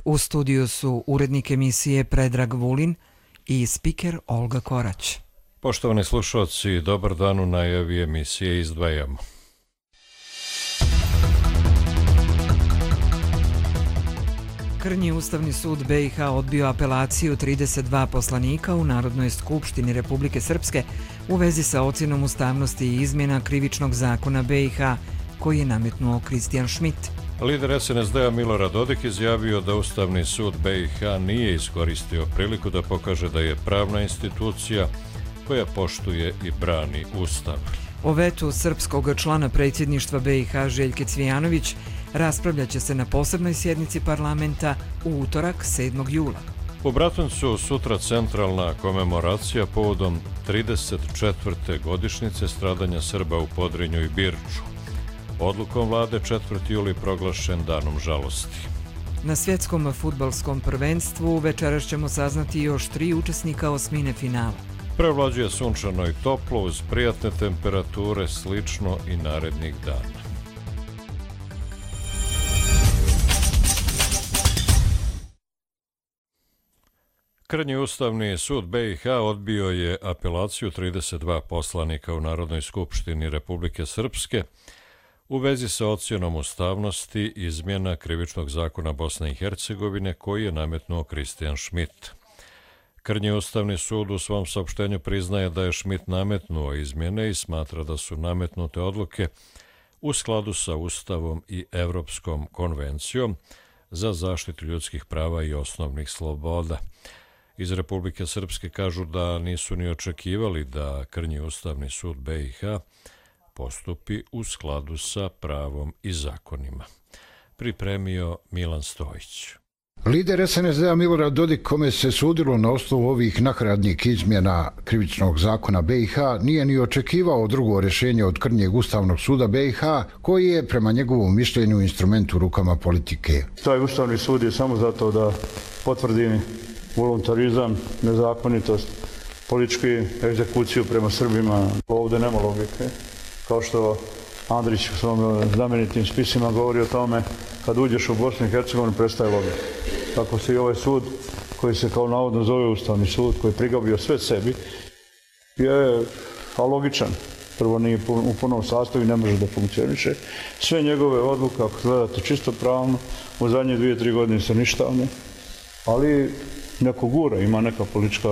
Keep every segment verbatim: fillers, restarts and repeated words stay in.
U studiju su urednik emisije Predrag Vulin i spiker Olga Korać. Poštovani slušalci, dobar dan, u najavi emisije izdvajamo. Krnji Ustavni sud B i H odbio apelaciju trideset dva poslanika u Narodnoj skupštini Republike Srpske u vezi sa ocjenom ustavnosti i izmjena krivičnog zakona B i H koji je nametnuo Kristijan Šmit. Lider S N S D-a Milorad Dodik izjavio da Ustavni sud B i H nije iskoristio priliku da pokaže da je pravna institucija koja poštuje i brani Ustav. O vetu srpskog člana predsjedništva B i H Željke Cvijanović raspravljat će se na posebnoj sjednici parlamenta u utorak sedmog jula. U Bratuncu sutra centralna komemoracija povodom trideset četvrte godišnjice stradanja Srba u Podrinju i Birču. Odlukom vlade četvrti juli proglašen danom žalosti. Na svjetskom fudbalskom prvenstvu večeras ćemo saznati još tri učesnika osmine finala. Prevlađuje sunčano i toplo uz prijatne temperature, slično i narednih dana. Krnji Ustavni sud B i H odbio je apelaciju trideset dva poslanika u Narodnoj skupštini Republike Srpske u vezi sa ocjenom ustavnosti izmjena krivičnog zakona Bosne i Hercegovine koji je nametnuo Kristijan Šmit. Krnji Ustavni sud u svom saopštenju priznaje da je Šmit nametnuo izmjene i smatra da su nametnute odluke u skladu sa Ustavom i Evropskom konvencijom za zaštitu ljudskih prava i osnovnih sloboda. Iz Republike Srpske kažu da nisu ni očekivali da Krnji Ustavni sud B i H postupi u skladu sa pravom i zakonima. Pripremio Milan Stojić. Lider S N S D-a Milorad Dodik, kome se sudilo na osnovu ovih nakaradnih izmjena krivičnog zakona B i H, nije ni očekivao drugo rješenje od Krnjeg Ustavnog suda B i H, koji je prema njegovom mišljenju instrument u rukama politike. Taj Ustavni sud je samo zato da potvrdi voluntarizam, nezakonitost, političku egzekuciju prema Srbima. Ovdje nema logike. Kao što Andrić u svom znamenitim spisima govori o tome, kad uđeš u Bosnu i Hercegovinu prestaje logika. Tako se i ovaj sud, koji se kao navodno zove Ustavni sud, koji je prigabio sve sebi, je alogičan. Prvo nije u punom sastavu i ne može da funkcioniše. Sve njegove odluke, ako gledate čisto pravno, u zadnje dvije, tri godine su ništavne, ali neko gura, ima neka politička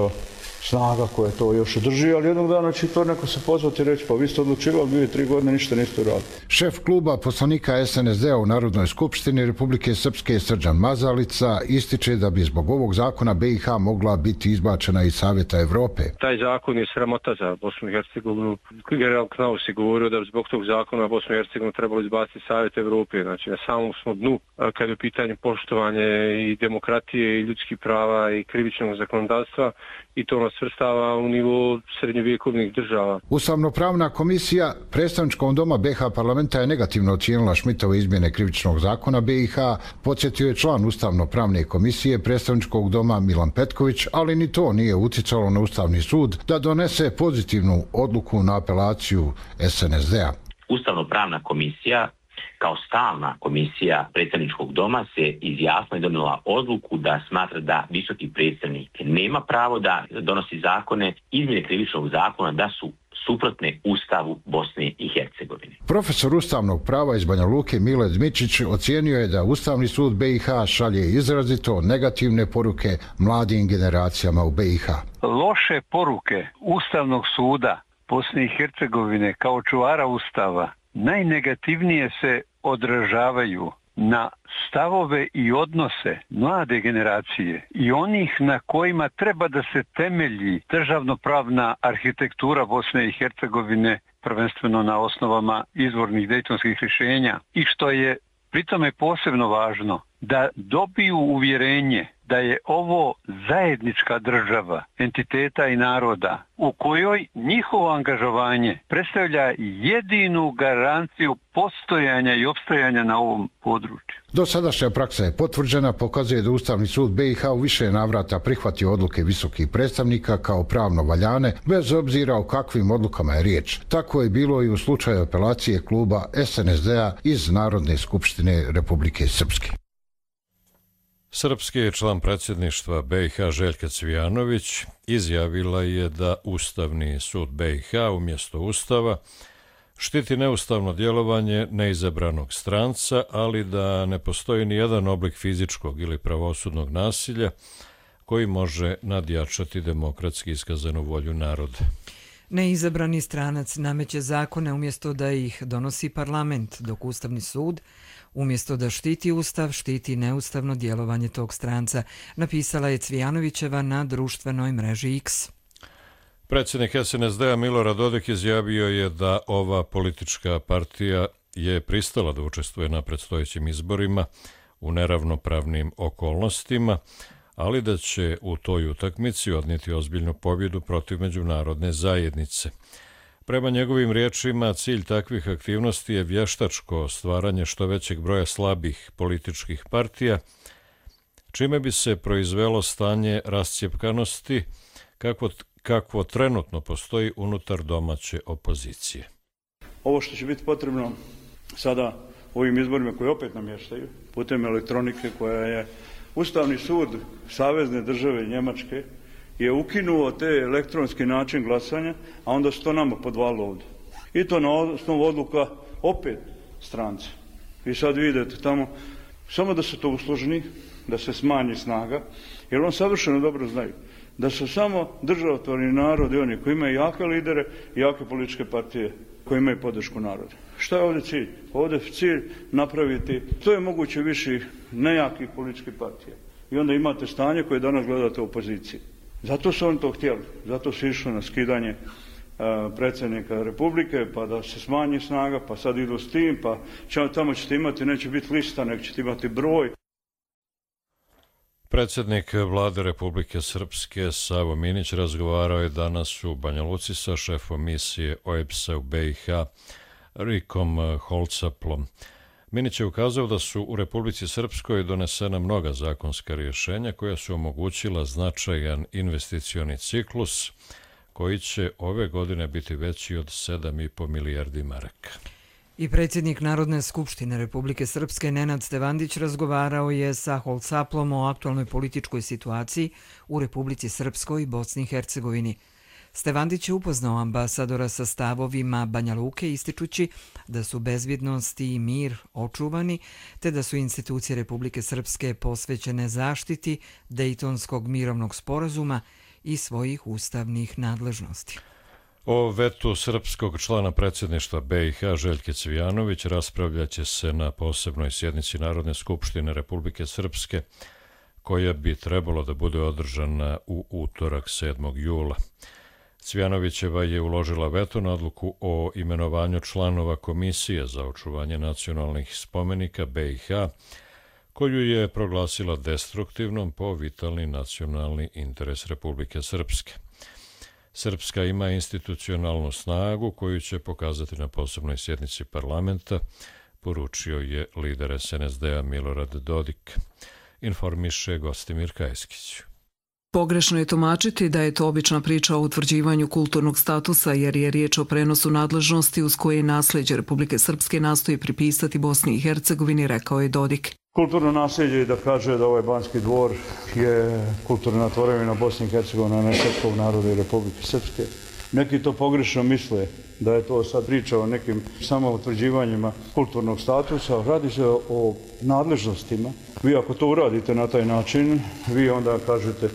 snaga koja to još drži, ali jednog dana će to neko se pozvati i reći, pa vi ste odlučivali dvije, tri godine, ništa niste uradili. Šef kluba poslanika S N S D-a u Narodnoj skupštini Republike Srpske Srđan Mazalica ističe da bi zbog ovog zakona B i H mogla biti izbačena iz Savjeta Evrope. Taj zakon je sramota za Bosnu i Hercegovinu. General Knaus je govorio da zbog tog zakona Bosnu i Hercegovinu trebalo izbaciti Savjet Evrope. Znači na samom smo dnu kada je pitanje poštovanje i demokratije i ljudskih prava i krivičnog zakonodavstva, i to nas svrstava u nivo srednjovjekovnih država. Ustavnopravna komisija predstavničkom doma B i H parlamenta je negativno ocijenila Šmitove izmjene krivičnog zakona B i H, podsjetio je član Ustavnopravne komisije predstavničkog doma Milan Petković, ali ni to nije uticalo na Ustavni sud da donese pozitivnu odluku na apelaciju S N S D-a. Ustavnopravna komisija kao stalna komisija predstavničkog doma se izjasnila i donijela odluku da smatra da visoki predstavnik nema pravo da donosi zakone, izmjene krivičnog zakona da su suprotne Ustavu Bosne i Hercegovine. Profesor ustavnog prava iz Banja Luke Mile Dmičić ocijenio je da Ustavni sud B i H šalje izrazito negativne poruke mladim generacijama u B i H. Loše poruke Ustavnog suda Bosne i Hercegovine kao čuvara Ustava najnegativnije se odražavaju na stavove i odnose mlade generacije i onih na kojima treba da se temelji državnopravna arhitektura Bosne i Hercegovine, prvenstveno na osnovama izvornih dejtonskih rješenja, i što je pritome posebno važno, da dobiju uvjerenje da je ovo zajednička država entiteta i naroda u kojoj njihovo angažovanje predstavlja jedinu garanciju postojanja i opstajanja na ovom području. Dosadašnja praksa je potvrđena, pokazuje da Ustavni sud B i H u više navrata prihvatio odluke visokih predstavnika kao pravno valjane, bez obzira o kakvim odlukama je riječ. Tako je bilo i u slučaju apelacije kluba S N S D-a iz Narodne skupštine Republike Srpske. Srpski član predsjedništva B i H Željka Cvijanović izjavila je da Ustavni sud B i H umjesto Ustava štiti neustavno djelovanje neizabranog stranca, ali da ne postoji ni jedan oblik fizičkog ili pravosudnog nasilja koji može nadjačati demokratski iskazanu volju naroda. Neizabrani stranac nameće zakone umjesto da ih donosi parlament, dok Ustavni sud, umjesto da štiti Ustav, štiti neustavno djelovanje tog stranca, napisala je Cvijanovićeva na društvenoj mreži X. Predsjednik S N S D-a Milorad Dodik izjavio je da ova politička partija je pristala da učestvuje na predstojećim izborima u neravnopravnim okolnostima, ali da će u toj utakmici odnijeti ozbiljnu pobjedu protiv međunarodne zajednice. Prema njegovim riječima, cilj takvih aktivnosti je vještačko stvaranje što većeg broja slabih političkih partija, čime bi se proizvelo stanje rascjepkanosti kako, kakvo trenutno postoji unutar domaće opozicije. Ovo što će biti potrebno sada u ovim izborima koji opet namještaju putem elektronike, koja je Ustavni sud Savezne države Njemačke je ukinuo te elektronski način glasanja, a onda su to nama podvalilo ovdje. I to na osnovu odluka opet stranci. I sad vidite tamo, samo da se to usložni, da se smanji snaga, jer on savršeno dobro znaju da su samo državotvorni narodi oni koji imaju jake lidere i jake političke partije koji imaju podršku naroda. Šta je ovdje cilj? Ovdje je cilj napraviti to je moguće više nejakih političkih partija. I onda imate stanje koje danas gledate u opoziciji. Zato su oni to htjeli. Zato su išli na skidanje uh, predsjednika Republike, pa da se smanji snaga, pa sad idu s tim, pa će, tamo ćete imati, neće biti lista, nego ćete imati broj. Predsjednik Vlade Republike Srpske Savo Minić razgovarao je danas u Banja Luci sa šefom misije O E B S-a u B i H Rikom Holcaplom. Minić je ukazao da su u Republici Srpskoj donesena mnoga zakonska rješenja koja su omogućila značajan investicioni ciklus koji će ove godine biti veći od sedam i po milijardi maraka. I predsjednik Narodne skupštine Republike Srpske Nenad Stevandić razgovarao je sa Holcaplom o aktualnoj političkoj situaciji u Republici Srpskoj i Bosni i Hercegovini. Stevandić je upoznao ambasadora sa stavovima Banja Luke, ističući da su bezbjednost i mir očuvani, te da su institucije Republike Srpske posvećene zaštiti Dejtonskog mirovnog sporazuma i svojih ustavnih nadležnosti. O vetu srpskog člana predsjedništva B i H Željke Cvijanović raspravljaće se na posebnoj sjednici Narodne skupštine Republike Srpske, koja bi trebalo da bude održana u utorak sedmog jula. Cvijanovićeva je uložila veto na odluku o imenovanju članova Komisije za očuvanje nacionalnih spomenika B i H, koju je proglasila destruktivnom po vitalni nacionalni interes Republike Srpske. Srpska ima institucionalnu snagu koju će pokazati na posebnoj sjednici parlamenta, poručio je lider S N S D-a Milorad Dodik, informiše Gostimir Kajskić. Pogrešno je tumačiti da je to obična priča o utvrđivanju kulturnog statusa, jer je riječ o prenosu nadležnosti uz koje nasljeđe Republike Srpske nastoji pripisati Bosni i Hercegovini, rekao je Dodik. Kulturno nasljeđe je da kaže da ovaj Banski dvor je kulturna tvorevina Bosne i Hercegovine, a ne srpskog naroda i Republike Srpske. Neki to pogrešno misle da je to sad priča o nekim samo utvrđivanjima kulturnog statusa. Radi se o nadležnostima. Vi ako to uradite na taj način, vi onda kažete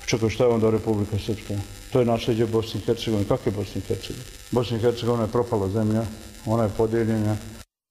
čekaj, šta je onda Republika Srpska? To je nasljeđe Bosne i Hercegovine. Kako je Bosna i Hercegovina? Bosna i Hercegovina je propala zemlja, ona je podijeljena.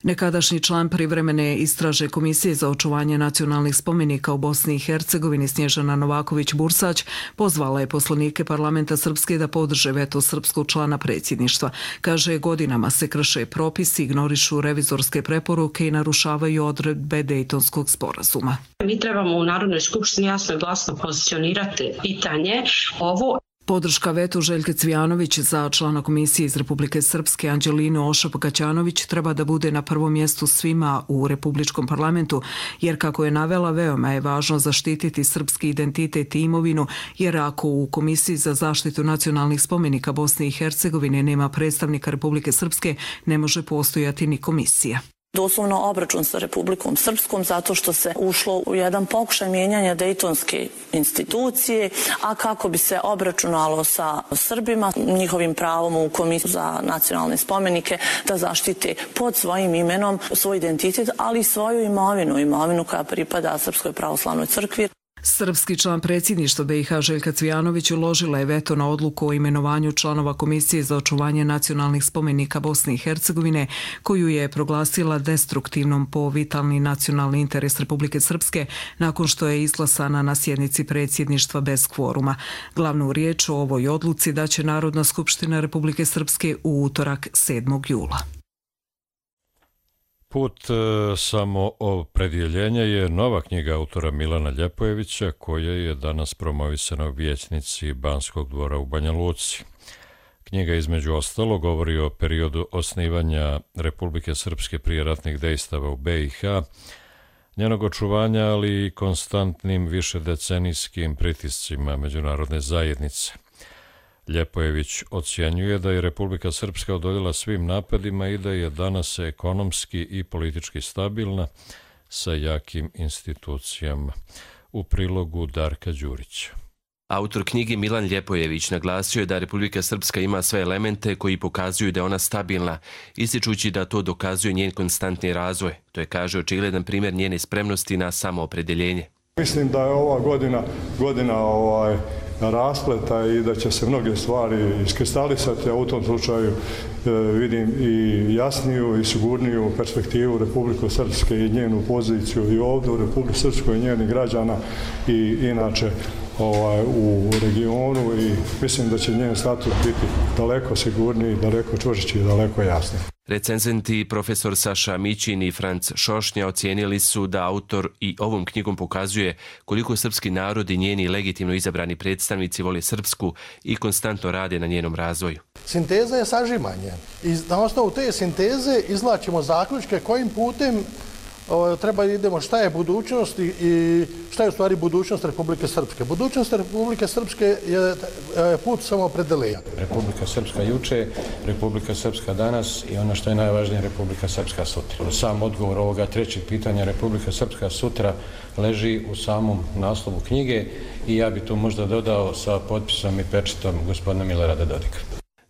Nekadašnji član privremene istražne komisije za očuvanje nacionalnih spomenika u Bosni i Hercegovini Snježana Novaković-Bursać pozvala je poslanike parlamenta Srpske da podrže veto srpskog člana predsjedništva. Kaže, godinama se krše propisi, ignorišu revizorske preporuke i narušavaju odredbe Dejtonskog sporazuma. Mi trebamo u Narodnoj skupštini jasno i glasno pozicionirati pitanje ovo. Podrška vetu Željke Cvijanović za člana komisije iz Republike Srpske Anđelinu Ošap-Kaćanović treba da bude na prvom mjestu svima u Republičkom parlamentu, jer kako je navela, veoma je važno zaštititi srpski identitet i imovinu, jer ako u Komisiji za zaštitu nacionalnih spomenika Bosne i Hercegovine nema predstavnika Republike Srpske, ne može postojati ni komisija. doslovno obračun sa Republikom Srpskom zato što se ušlo u jedan pokušaj mijenjanja Dejtonske institucije, a kako bi se obračunalo sa Srbima, njihovim pravom u Komisiju za nacionalne spomenike da zaštite pod svojim imenom svoj identitet, ali i svoju imovinu, imovinu koja pripada Srpskoj pravoslavnoj crkvi. Srpski član predsjedništva B i H Željka Cvijanović uložila je veto na odluku o imenovanju članova Komisije za očuvanje nacionalnih spomenika Bosne i Hercegovine, koju je proglasila destruktivnom po vitalni nacionalni interes Republike Srpske nakon što je izglasana na sjednici predsjedništva bez kvoruma. Glavnu riječ o ovoj odluci daće Narodna skupština Republike Srpske u utorak sedmog jula. Put e, samoopredjeljenja je nova knjiga autora Milana Ljepojevića koja je danas promovisana u vijećnici Banskog dvora u Banja Luci. Knjiga između ostalo govori o periodu osnivanja Republike Srpske prije ratnih dejstava u B i H, njenog očuvanja, ali i konstantnim višedecenijskim pritiscima međunarodne zajednice. Ljepojević ocjenjuje da je Republika Srpska odoljela svim napadima i da je danas ekonomski i politički stabilna sa jakim institucijama. U prilogu Darka Đurića. Autor knjige Milan Ljepojević naglasio je da Republika Srpska ima sve elemente koji pokazuju da je ona stabilna, ističući da to dokazuje njen konstantni razvoj. To je, kaže, očigledan primjer njene spremnosti na samoopredeljenje. Mislim da je ova godina godina ovaj, raspleta i da će se mnoge stvari iskristalisati, a u tom slučaju e, vidim i jasniju i sigurniju perspektivu Republike Srpske i njenu poziciju i ovdje u Republike Srpskoj i njenih građana i inače ovaj, u regionu i mislim da će njen status biti daleko sigurniji, daleko čvršći i daleko jasniji. Recenzenti profesor Saša Mićin i Franc Šošnja ocijenili su da autor i ovom knjigom pokazuje koliko srpski narod i njeni legitimno izabrani predstavnici vole Srpsku i konstantno rade na njenom razvoju. Sinteza je sažimanje i na osnovu te sinteze izvlačimo zaključke kojim putem treba da idemo, šta je budućnost i šta je u stvari budućnost Republike Srpske. Budućnost Republike Srpske je put samoopredeljenja. Republika Srpska juče, Republika Srpska danas i ono što je najvažnije, Republika Srpska sutra. Sam odgovor ovoga trećeg pitanja, Republika Srpska sutra, leži u samom naslovu knjige i ja bi tu možda dodao sa potpisom i pečetom gospodina Milorada Dodika.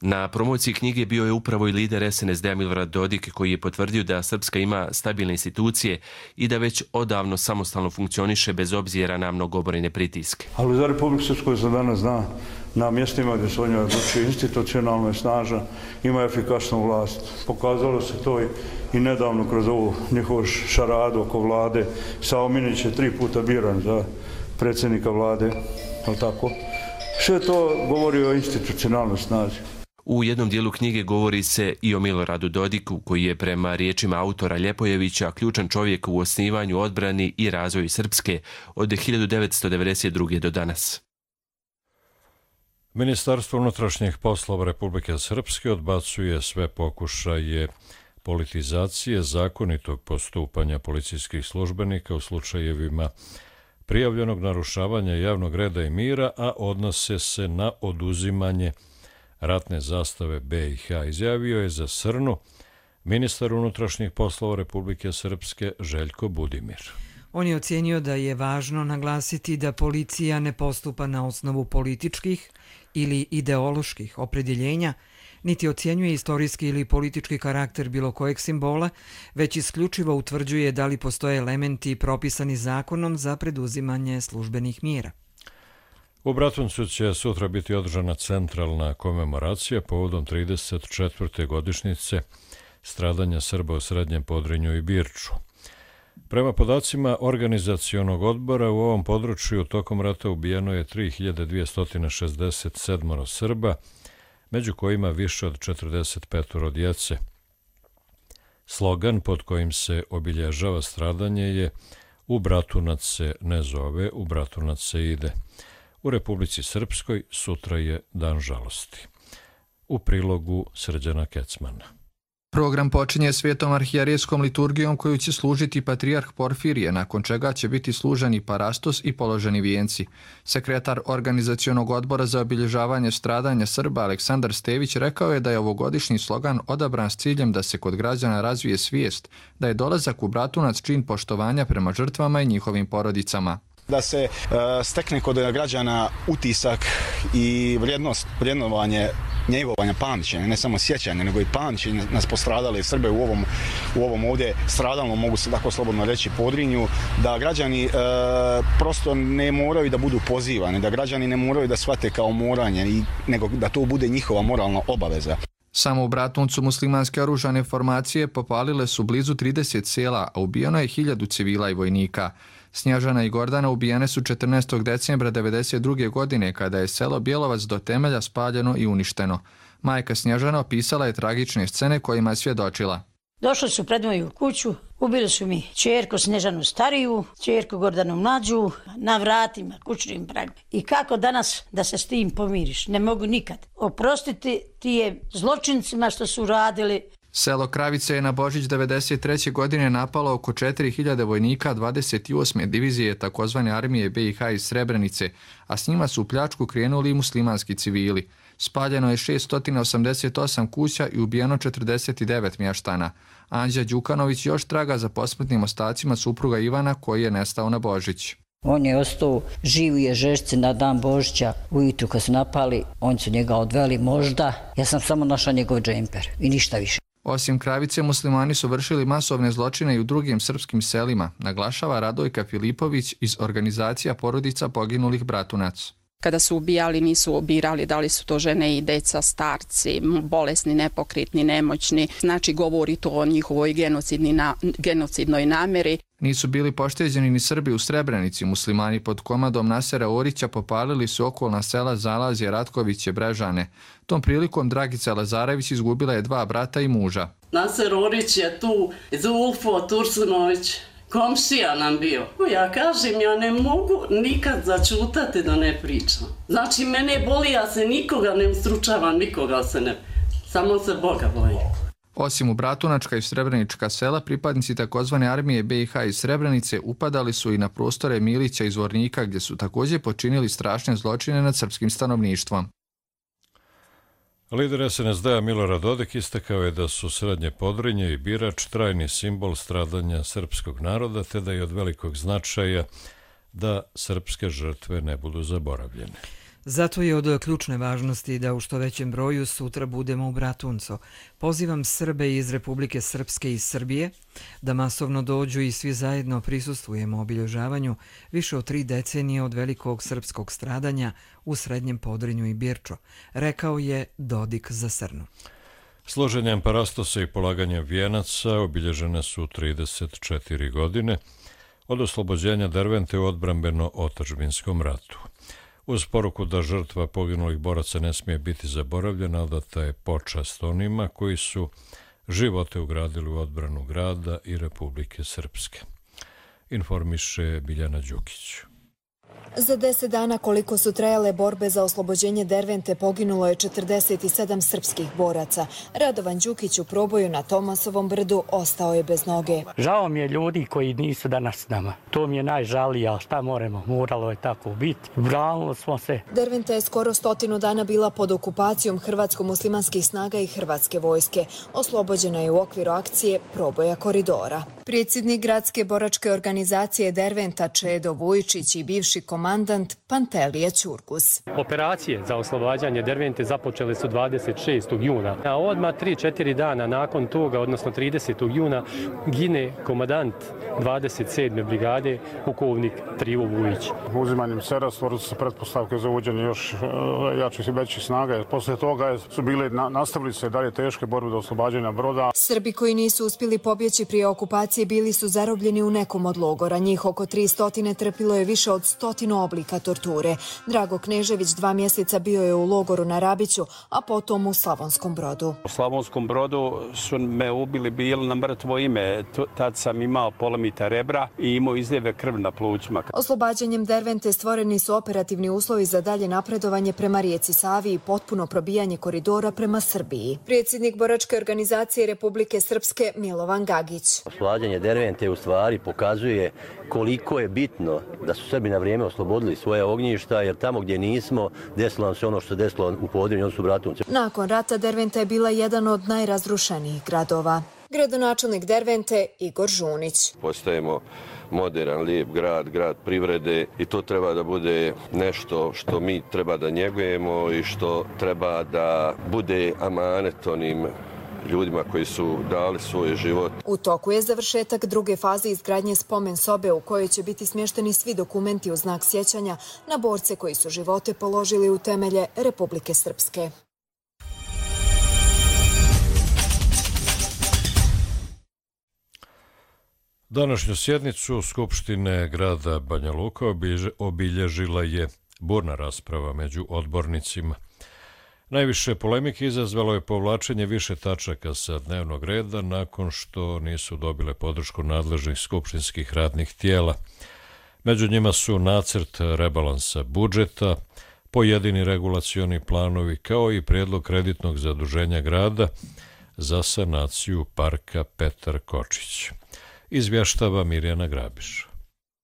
Na promociji knjige bio je upravo i lider S N S D-a Milorad Dodik, koji je potvrdio da Srpska ima stabilne institucije i da već odavno samostalno funkcioniše bez obzira na mnogobrojne pritiske. Ali za Republiku Srpsku se danas zna na mjestima gdje se o njoj odlučuje institucionalno je snažna, ima efikasnu vlast. Pokazalo se to i, i nedavno kroz ovu njihovu šaradu oko vlade. Savo Minić je tri puta biran za predsjednika vlade, je li tako? Sve to govori o institucionalnoj snazi. U jednom dijelu knjige govori se i o Miloradu Dodiku, koji je prema riječima autora Ljepojevića ključan čovjek u osnivanju, odbrani i razvoju Srpske od hiljadu devetsto devedeset druge do danas. Ministarstvo unutrašnjih poslova Republike Srpske odbacuje sve pokušaje politizacije zakonitog postupanja policijskih službenika u slučajevima prijavljenog narušavanja javnog reda i mira, a odnose se na oduzimanje ratne zastave B i H, izjavio je za Srnu ministar unutrašnjih poslova Republike Srpske Željko Budimir. On je ocijenio da je važno naglasiti da policija ne postupa na osnovu političkih ili ideoloških opredjeljenja, niti ocjenjuje istorijski ili politički karakter bilo kojeg simbola, već isključivo utvrđuje da li postoje elementi propisani zakonom za preduzimanje službenih mjera. U Bratuncu će sutra biti održana centralna komemoracija povodom trideset četvrte godišnjice stradanja Srba u Srednjem Podrinju i Birču. Prema podacima organizacionog odbora u ovom području tokom rata ubijeno je tri hiljade dvjesto šezdeset sedam Srba, među kojima više od četrdeset pet djece. Slogan pod kojim se obilježava stradanje je "U Bratunac se ne zove, u Bratunac se ide". U Republici Srpskoj sutra je dan žalosti. U prilogu Srđana Kecmana. Program počinje svetom arhijerejskom liturgijom koju će služiti patrijarh Porfirije, nakon čega će biti služeni parastos i položeni vijenci. Sekretar Organizacionog odbora za obilježavanje stradanja Srba Aleksandar Stević rekao je da je ovogodišnji slogan odabran s ciljem da se kod građana razvije svijest, da je dolazak u Bratunac čin poštovanja prema žrtvama i njihovim porodicama. Da se uh, stekne kod građana utisak i vrijednost, vrijednovanje njegovanja, pamćenja, ne samo sjećanja, nego i pamćenja nas postradale Srbe u ovom, u ovom ovdje stradalnom, mogu se tako slobodno reći, Podrinju, da građani e, prosto ne moraju da budu pozivani, da građani ne moraju da shvate kao moranje, i, nego da to bude njihova moralna obaveza. Samo u Bratuncu muslimanske oružane formacije popalile su blizu trideset sela, a ubijeno je hiljadu civila i vojnika. Snježana i Gordana ubijene su četrnaestog decembra devedeset druge godine kada je selo Bjelovac do temelja spaljeno i uništeno. Majka Snježana opisala je tragične scene kojima je svjedočila. Došli su pred moju kuću, ubili su mi ćerku Snježanu stariju, ćerku Gordanu mlađu, na vratima, kućnim pragom. I kako danas da se s tim pomiriš? Ne mogu nikad. Oprostiti ti je zločincima što su radili. Selo Kravice je na Božić devedeset treće godine napalo oko četiri hiljade vojnika dvadeset osme divizije takozvane armije B i H iz Srebrenice, a s njima su u pljačku krenuli i muslimanski civili. Spaljeno je šesto osamdeset osam kuća i ubijeno četrdeset devet mještana. Anđa Đukanović još traga za posmrtnim ostacima supruga Ivana koji je nestao na Božić. On je ostao živ je žešci na dan Božića, ujutru kad su napali, oni su njega odveli možda, ja sam samo našla njegov džemper i ništa više. Osim Kravice, muslimani su vršili masovne zločine i u drugim srpskim selima, naglašava Radojka Filipović iz organizacija porodica poginulih Bratunac. Kada su ubijali, nisu obirali da li su to žene i deca, starci, bolesni, nepokretni, nemoćni. Znači, govori to o njihovoj na, genocidnoj namjeri. Nisu bili pošteđeni ni Srbi u Srebrenici. Muslimani pod komadom Nasera Orića popalili su okolna sela Zalazje, Ratkoviće, Brežane. Tom prilikom Dragica Lazarević izgubila je dva brata i muža. Naser Orić je tu, Zulfo Tursunović. Komšija nam bio. Ja kažem, ja ne mogu nikad začutati da ne pričam. Znači, mene boli, ja se nikoga ne ustručavam, nikoga se ne... Samo se Boga bojim. Osim u Bratunačka i Srebrenička sela, pripadnici takozvane armije B i H iz Srebrenice upadali su i na prostore Milića i Zvornika, gdje su također počinili strašne zločine nad srpskim stanovništvom. Lider S N S D-a Milorad Dodik istakao je da su Srednje Podrinje i Birač trajni simbol stradanja srpskog naroda, te da je od velikog značaja da srpske žrtve ne budu zaboravljene. Zato je od ključne važnosti da u što većem broju sutra budemo u Bratuncu. Pozivam Srbe iz Republike Srpske i Srbije da masovno dođu i svi zajedno prisustvujemo obilježavanju više od tri decenije od velikog srpskog stradanja u Srednjem Podrinju i Birču, rekao je Dodik za Srnu. Složenjem parastosa i polaganjem vijenaca obilježene su trideset četiri godine od oslobođenja Dervente u odbrambeno-otadžbinskom ratu. Uz poruku da žrtva poginulih boraca ne smije biti zaboravljena, odata je počast onima koji su živote ugradili u odbranu grada i Republike Srpske. Informiše Biljana Đukić. Za deset dana koliko su trajale borbe za oslobođenje Dervente poginulo je četrdeset sedam srpskih boraca. Radovan Đukić u proboju na Tomasovom brdu ostao je bez noge. Žao mi je ljudi koji nisu danas s nama. To mi je najžalije, ali šta moramo, moralo je tako biti. Branilo smo se. Derventa je skoro stotinu dana bila pod okupacijom hrvatsko-muslimanskih snaga i hrvatske vojske. Oslobođena je u okviru akcije proboja koridora. Predsjednik gradske boračke organizacije Derventa Čedo Vujičić i bivši komandant Pantelije Ćurkus. Operacije za oslobađanje Dervente započele su dvadeset šestog juna. A odmah tri četiri dana nakon toga, odnosno tridesetog juna, gine komandant dvadeset sedme brigade, pukovnik Trivo Vujić. Uzimanjem Sera stvorili su pretpostavke za uvođenje još jačih i većih snaga. Poslije toga su bile nastavili se dalje teške borbe do oslobađanja broda. Srbi koji nisu uspjeli pobjeći prije okupacije bili su zarobljeni u nekom od logora. Njih oko tri stotine trpilo je više od sto stotinu oblika torture. Drago Knežević dva mjeseca bio je u logoru na Rabiću, a potom u Slavonskom Brodu. U Slavonskom Brodu su me ubili, bili na mrtvo ime. Tad sam imao polomita rebra i imao izljeve krv na plućima. Oslobađanjem Dervente stvoreni su operativni uslovi za dalje napredovanje prema rijeci Savi i potpuno probijanje koridora prema Srbiji. Predsjednik boračke organizacije Republike Srpske Milovan Gagić. Oslobađanje Dervente u stvari pokazuje koliko je bitno da su Srbi na vrijeme oslobodili svoje ognjišta, jer tamo gdje nismo, desilo nam se ono što se desilo u Podrinju, oni su Bratunci. Nakon rata Derventa je bila jedan od najrazrušenijih gradova. Gradonačelnik Dervente Igor Žunić. Postajemo moderan, lijep grad, grad privrede i to treba da bude nešto što mi treba da njegujemo i što treba da bude amanet onim ljudima koji su dali svoj život. U toku je završetak druge faze izgradnje spomen sobe u kojoj će biti smješteni svi dokumenti u znak sjećanja na borce koji su živote položili u temelje Republike Srpske. Današnju sjednicu Skupštine grada Banja Luka obilježila je burna rasprava među odbornicima. Najviše polemike izazvalo je povlačenje više tačaka sa dnevnog reda nakon što nisu dobile podršku nadležnih skupštinskih radnih tijela. Među njima su nacrt rebalansa budžeta, pojedini regulacioni planovi kao i prijedlog kreditnog zaduženja grada za sanaciju parka Petar Kočić. Izvještava Mirjana Grabiš.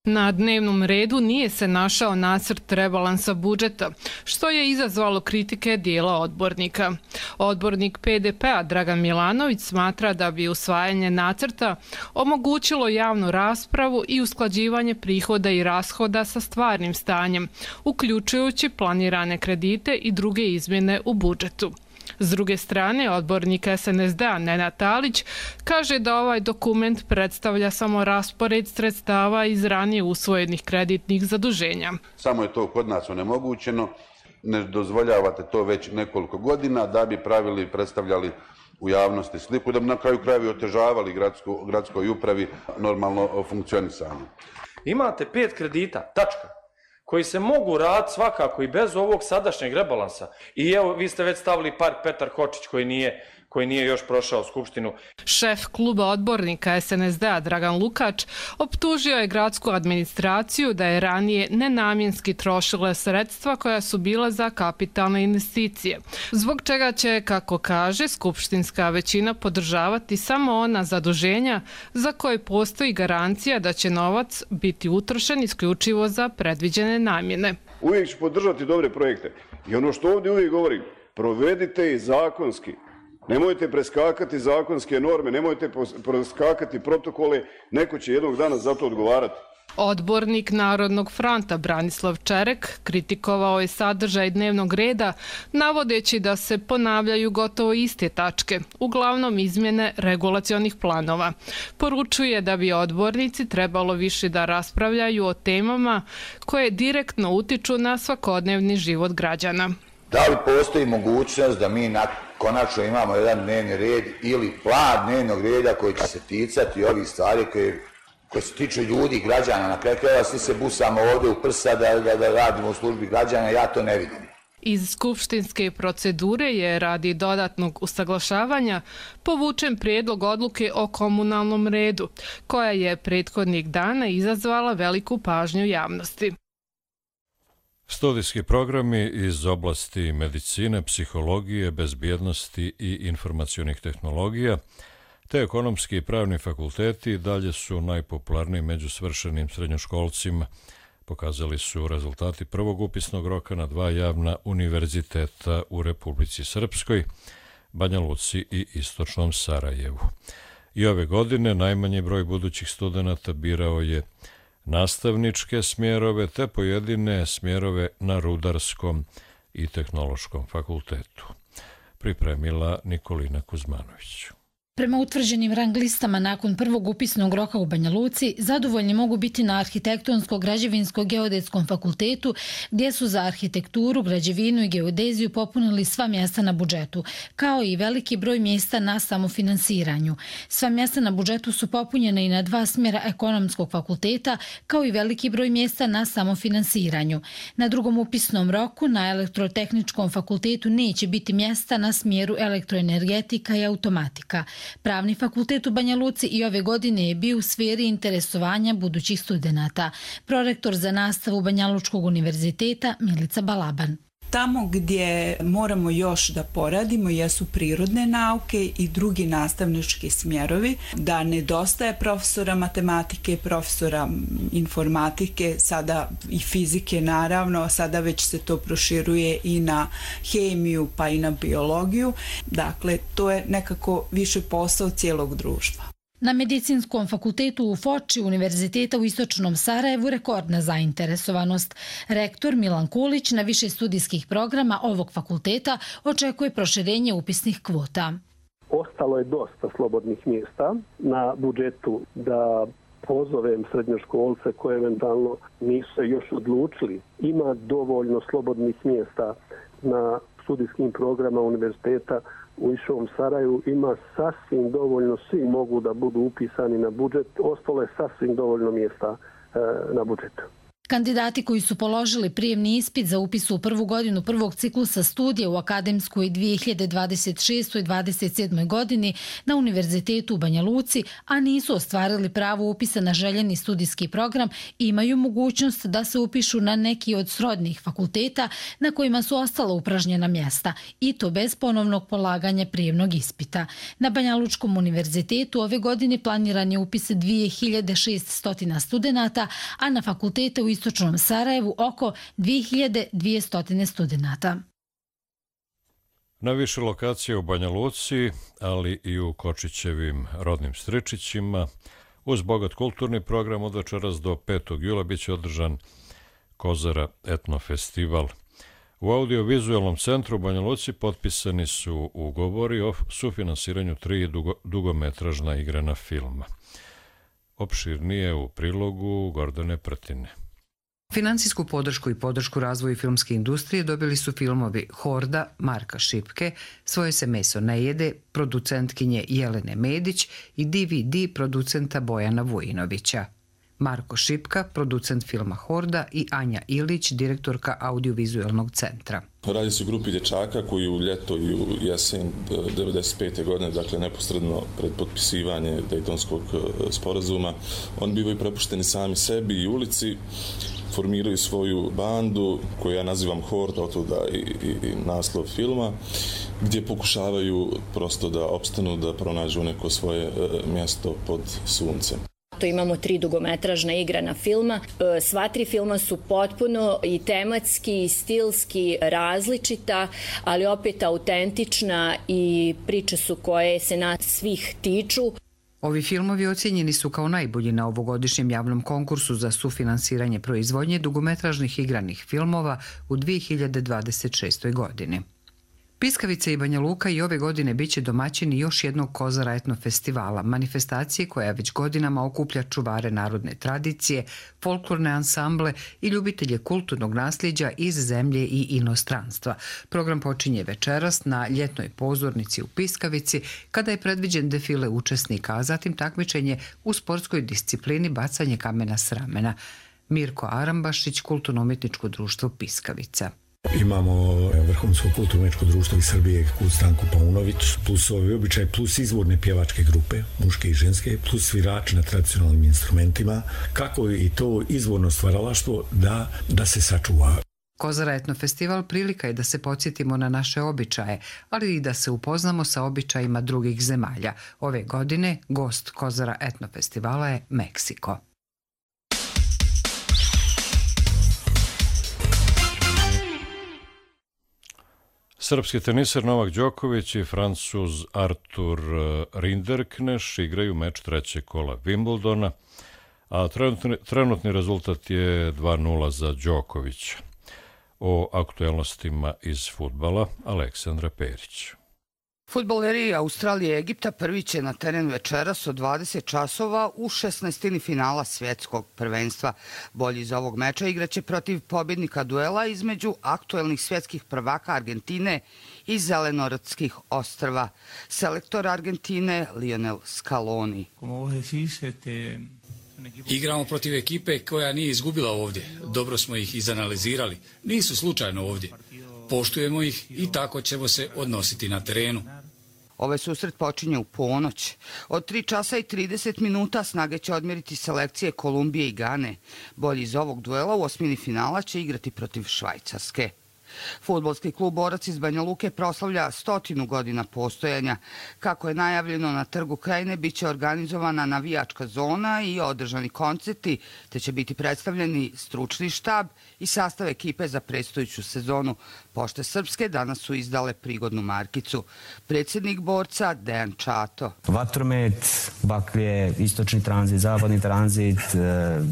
Na dnevnom redu nije se našao nacrt rebalansa budžeta, što je izazvalo kritike dijela odbornika. Odbornik P D P-a Dragan Milanović smatra da bi usvajanje nacrta omogućilo javnu raspravu i usklađivanje prihoda i rashoda sa stvarnim stanjem, uključujući planirane kredite i druge izmjene u budžetu. S druge strane, odbornik S N S D-a Nenad Talić kaže da ovaj dokument predstavlja samo raspored sredstava iz ranije usvojenih kreditnih zaduženja. Samo je to kod nas onemogućeno, ne dozvoljavate to već nekoliko godina da bi pravili i predstavljali u javnosti sliku, da bi na kraju krajevi otežavali gradsko, gradskoj upravi normalno funkcionisanje. Imate pet kredita, tačka, koji se mogu raditi svakako i bez ovog sadašnjeg rebalansa. I evo, vi ste već stavili park Petar Kočić koji nije, koji nije još prošao Skupštinu. Šef kluba odbornika S N S D-a Dragan Lukač optužio je gradsku administraciju da je ranije nenamjenski trošila sredstva koja su bila za kapitalne investicije, zbog čega će, kako kaže, skupštinska većina podržavati samo ona zaduženja za koje postoji garancija da će novac biti utrošen isključivo za predviđene namjene. Uvijek ću podržati dobre projekte i ono što ovdje uvijek govorim, provedite i zakonski. Nemojte preskakati zakonske norme, nemojte preskakati protokole, neko će jednog dana za to odgovarati. Odbornik Narodnog fronta Branislav Čerek kritikovao je sadržaj dnevnog reda, navodeći da se ponavljaju gotovo iste tačke, uglavnom izmjene regulacionih planova. Poručuje da bi odbornici trebalo više da raspravljaju o temama koje direktno utiču na svakodnevni život građana. Da li postoji mogućnost da mi konačno imamo jedan dnevni red ili plan dnevnog reda koji će se ticati ovih stvari koje, koje se tiču ljudi, građana? Na kraju krajeva svi se busamo ovdje u prsa da, da, da radimo u službi građana, ja to ne vidim. Iz skupštinske procedure je radi dodatnog usaglašavanja povučen prijedlog odluke o komunalnom redu, koja je prethodnih dana izazvala veliku pažnju javnosti. Studijski programi iz oblasti medicine, psihologije, bezbjednosti i informacionih tehnologija, te ekonomski i pravni fakulteti dalje su najpopularniji među svršenim srednjoškolcima, pokazali su rezultati prvog upisnog roka na dva javna univerziteta u Republici Srpskoj, Banja Luci i Istočnom Sarajevu. I ove godine najmanji broj budućih studenata birao je nastavničke smjerove te pojedine smjerove na Rudarskom i Tehnološkom fakultetu. Pripremila Nikolina Kuzmanović. Prema utvrđenim rang listama nakon prvog upisnog roka u Banja Luci, zadovoljni mogu biti na Arhitektonsko-građevinsko-geodetskom fakultetu, gdje su za arhitekturu, građevinu i geodeziju popunili sva mjesta na budžetu, kao i veliki broj mjesta na samofinansiranju. Sva mjesta na budžetu su popunjena i na dva smjera ekonomskog fakulteta, kao i veliki broj mjesta na samofinansiranju. Na drugom upisnom roku na Elektrotehničkom fakultetu neće biti mjesta na smjeru elektroenergetika i automatika. Pravni fakultet u Banja Luci i ove godine je bio u sferi interesovanja budućih studenata. Prorektor za nastavu Banjalučkog univerziteta Milica Balaban. Tamo gdje moramo još da poradimo jesu prirodne nauke i drugi nastavnički smjerovi, da nedostaje profesora matematike, profesora informatike, sada i fizike naravno, sada već se to proširuje i na hemiju pa i na biologiju. Dakle, to je nekako više posao cijelog društva. Na Medicinskom fakultetu u Foči Univerziteta u Istočnom Sarajevu rekordna zainteresovanost. Rektor Milan Kulić na više studijskih programa ovog fakulteta očekuje proširenje upisnih kvota. Ostalo je dosta slobodnih mjesta na budžetu da pozovem srednjoškolce koje eventualno nisu se još odlučili. Ima dovoljno slobodnih mjesta na studijskim programa univerziteta u Istočnom Sarajevu, ima sasvim dovoljno, svi mogu da budu upisani na budžet, ostalo je sasvim dovoljno mjesta e, na budžetu. Kandidati koji su položili prijemni ispit za upis u prvu godinu prvog ciklusa studija u akademskoj dvije hiljade dvadeset šestoj i dvadeset sedmoj godini na Univerzitetu u Banja Luci, a nisu ostvarili pravo upisa na željeni studijski program, imaju mogućnost da se upišu na neki od srodnih fakulteta na kojima su ostala upražnjena mjesta, i to bez ponovnog polaganja prijemnog ispita. Na Banjalučkom univerzitetu ove godine planiran je upis dvije hiljade šeststo studenata, a na fakultete u Istočnom Sarajevu oko dvije hiljade dvjesto studenata. Na više lokacije u Banja Luci, ali i u Kočićevim rodnim Stričićima, uz bogat kulturni program od večeras do petog jula biće održan Kozara etnofestival. U audiovizualnom centru u Banja Luci potpisani su ugovori o sufinansiranju tri dugo, dugometražna igrana filma. Opširnije u prilogu Gordane Prtine. Financijsku podršku i podršku razvoju filmske industrije dobili su filmovi Horda Marka Šipke, Svoje se meso ne jede producentkinje Jelene Medić i D V D producenta Bojana Vujinovića. Marko Šipka, producent filma Horda, i Anja Ilić, direktorka audiovizualnog centra. Radi se o grupi dječaka koji u ljeto i u jesen devedeset pete godine, dakle neposredno pred potpisivanje Dejtonskog sporazuma, oni bivaju prepušteni sami sebi i ulici, formiraju svoju bandu koju ja nazivam Horda, otuda i, i, i naslov filma, gdje pokušavaju prosto da opstanu, da pronađu neko svoje mjesto pod suncem. Imamo tri dugometražna igrana filma. Sva tri filma su potpuno i tematski i stilski različita, ali opet autentična i priče su koje se nas svih tiču. Ovi filmovi ocijenjeni su kao najbolji na ovogodišnjem javnom konkursu za sufinansiranje proizvodnje dugometražnih igranih filmova u dvije hiljade dvadeset šestoj godini. Piskavica i Banja Luka i ove godine biće domaćini još jednog Kozara etnofestivala, manifestacije koja već godinama okuplja čuvare narodne tradicije, folklorne ansamble i ljubitelje kulturnog nasljeđa iz zemlje i inostranstva. Program počinje večeras na ljetnoj pozornici u Piskavici, kada je predviđen defile učesnika, a zatim takmičenje u sportskoj disciplini bacanje kamena s ramena. Mirko Arambašić, Kulturno-umjetničko društvo Piskavica. Imamo Vrhunsko kulturno-umjetničko društvo iz Srbije, Kult Stanku Paunović, plus ovi običaj, plus izvorne pjevačke grupe, muške i ženske, plus svirači na tradicionalnim instrumentima, kako i to izvorno stvaralaštvo da, da se sačuva. Kozara etnofestival prilika je da se podsjetimo na naše običaje, ali i da se upoznamo sa običajima drugih zemalja. Ove godine gost Kozara etnofestivala je Meksiko. Srpski teniser Novak Đoković i Francuz Artur Rinderkneš igraju meč trećeg kola Wimbledona, a trenutni, trenutni rezultat je dva nula za Đokovića. O aktuelnostima iz fudbala Aleksandra Perić. Fudbaleri Australije i Egipta prvi će na teren večeras od dvadeset časova u šesnaestini finala svjetskog prvenstva. Bolji iz ovog meča igraće protiv pobjednika duela između aktuelnih svjetskih prvaka Argentine i Zelenorodskih ostrva. Selektor Argentine Lionel Scaloni. Igramo protiv ekipe koja nije izgubila ovdje. Dobro smo ih izanalizirali. Nisu slučajno ovdje. Poštujemo ih i tako ćemo se odnositi na terenu. Ovaj susret počinje u ponoć. Od tri časa i trideset minuta snage će odmjeriti selekcije Kolumbije i Gane. Bolji iz ovog duela u osmini finala će igrati protiv Švajcarske. Fudbalski klub Borac iz Banja Luke proslavlja stotinu godina postojanja. Kako je najavljeno, na Trgu Krajine bit će organizovana navijačka zona i održani koncerti, te će biti predstavljeni stručni štab i sastav ekipe za predstojeću sezonu. Pošte Srpske danas su izdale prigodnu markicu. Predsjednik Borca Dejan Čato. Vatromet, baklje, istočni tranzit, zapadni tranzit,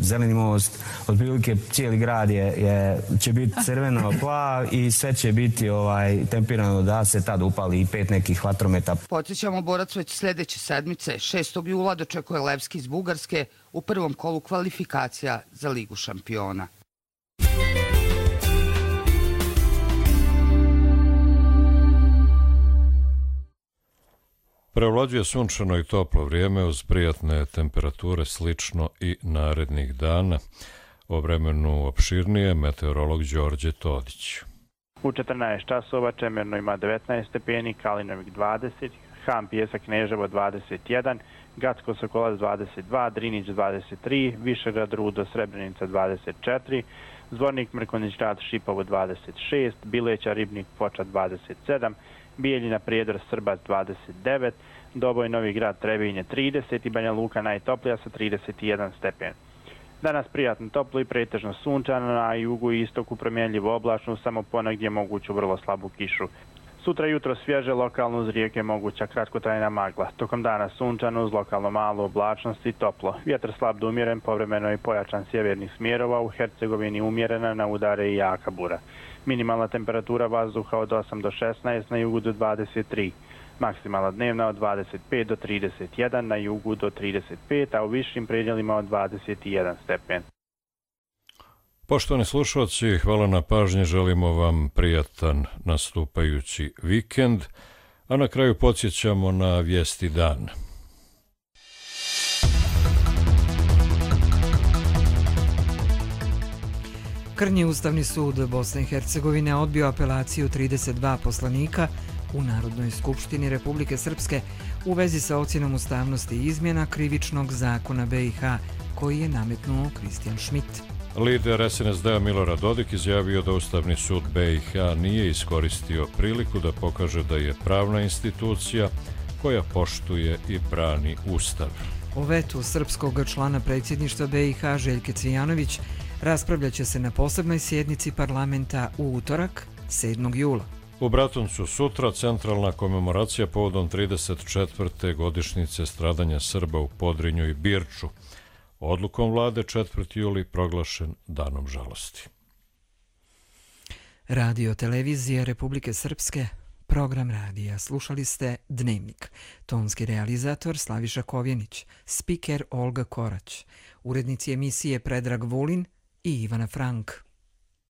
zeleni most, otprilike cijeli grad je, je, će biti crveno plav i sve će biti ovaj, tempirano da se tad upali i pet nekih vatrometa. Podsjećamo, Borac već sljedeće sedmice, šestog jula, dočekuje Levski iz Bugarske u prvom kolu kvalifikacija za Ligu šampiona. Prevlađuje sunčano i toplo vrijeme uz prijatne temperature, slično i narednih dana. O vremenu opširnije meteorolog Đorđe Todić. U četrnaest časova Čemerno ima devetnaest stepeni, Kalinovik dvadeset, Ham Pjesak Kneževo dvadeset jedan, Gacko Sokolac dvadeset dva, Drinić dvadeset tri, Višegrad Rudo Srebrenica dvadeset četiri, Zvornik Mrkonjić Grad Šipovo dvadeset šest, Bileća Ribnik Foča dvadeset sedam, Bijeljina Prijedor Srbac dvadeset devet, Doboj Novi Grad Trebinje trideset i Banja Luka najtoplija sa trideset jedan stepen. Danas prijatno toplo i pretežno sunčano, na jugu i istoku promjenljivo oblačno, samo ponegdje moguću vrlo slabu kišu. Sutra jutro svježe, lokalno uz rijeke moguća kratkotrajna magla. Tokom dana sunčano uz lokalno malu oblačnost i toplo. Vjetar slab do umjeren, povremeno i pojačan sjevernih smjerova, u Hercegovini umjerena, na udare i jaka bura. Minimalna temperatura vazduha od osam do šesnaest, na jugu do dvadeset tri. Maksimalna dnevna od dvadeset pet do trideset jedan, na jugu do trideset pet, a u višim predjelima od dvadeset jedan stepen. Poštovani slušalci, hvala na pažnji, želimo vam prijatan nastupajući vikend, a na kraju podsjećamo na vijesti dana. Krnji Ustavni sud Bosne i Hercegovine odbio apelaciju trideset dva poslanika u Narodnoj skupštini Republike Srpske u vezi sa ocjenom ustavnosti izmjena krivičnog zakona B i H koji je nametnuo Kristijan Šmit. Lider S N S D-a Milorad Dodik izjavio da Ustavni sud B i H nije iskoristio priliku da pokaže da je pravna institucija koja poštuje i brani Ustav. O vetu srpskog člana predsjedništva B i H Željke Cvijanović raspravljaće se na posebnoj sjednici parlamenta u utorak, sedmog jula. U Bratuncu sutra centralna komemoracija povodom trideset četvrte godišnjice stradanja Srba u Podrinju i Birču. Odlukom vlade četvrti juli proglašen danom žalosti. Radio televizija Republike Srpske, program radija. Slušali ste Dnevnik. Tonski realizator Slaviša Kovjenić, spiker Olga Korać, urednici emisije Predrag Vulin i Ivana Frank.